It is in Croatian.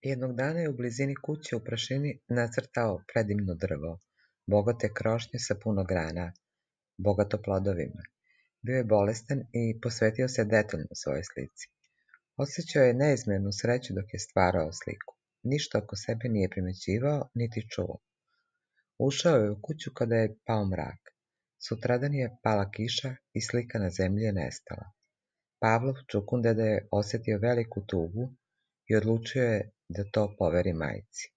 Jednog dana je u blizini kuće u prašini nacrtao predivno drvo, bogate krošnje sa puno grana, bogato plodovima. Bio je bolestan i posvetio se detaljno svojoj slici. Osjećao je neizmjernu sreću dok je stvarao sliku. Ništa oko sebe nije primećivao, niti čuo. Ušao je u kuću kada je pao mrak. Sutradan je pala kiša i slika na zemlji je nestala. Pavlov čukundeda je osjetio veliku tugu i odlučio je da to poveri majci.